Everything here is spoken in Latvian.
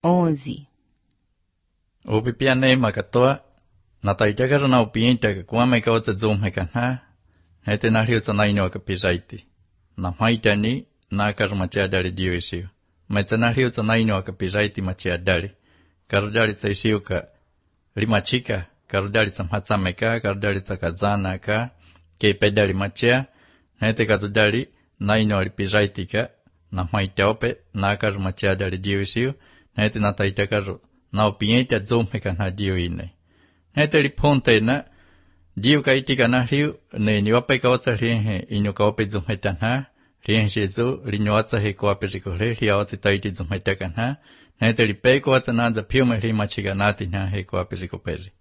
11. Upipiane makatoa, nataitaka na upienta kwame kauza zoom kana, hete na hiyo sanaino kapiraiti. Na maitani na karmachadari diwisio. Maitana hiyo sanaino kapiraiti machadari. Karudari saishio ka rimachika, karudari samhatsameka, karudari sakazana ka, ke pedari machia, hete katudari naino alipiraitika, na maitaope na karmachadari diwisio, hete na taitakaru. Na opienta zomeka na dio ine. Hete liponte na dio kaitika na riu ne niwape kaotsa rienhe ino kaope zometa na rienhe jesu rinyoatsa he koape rikole riawatsi taiti zometa kana. Hete lipe koatsa nanza piume rimachiga nati na he koape rikoperi.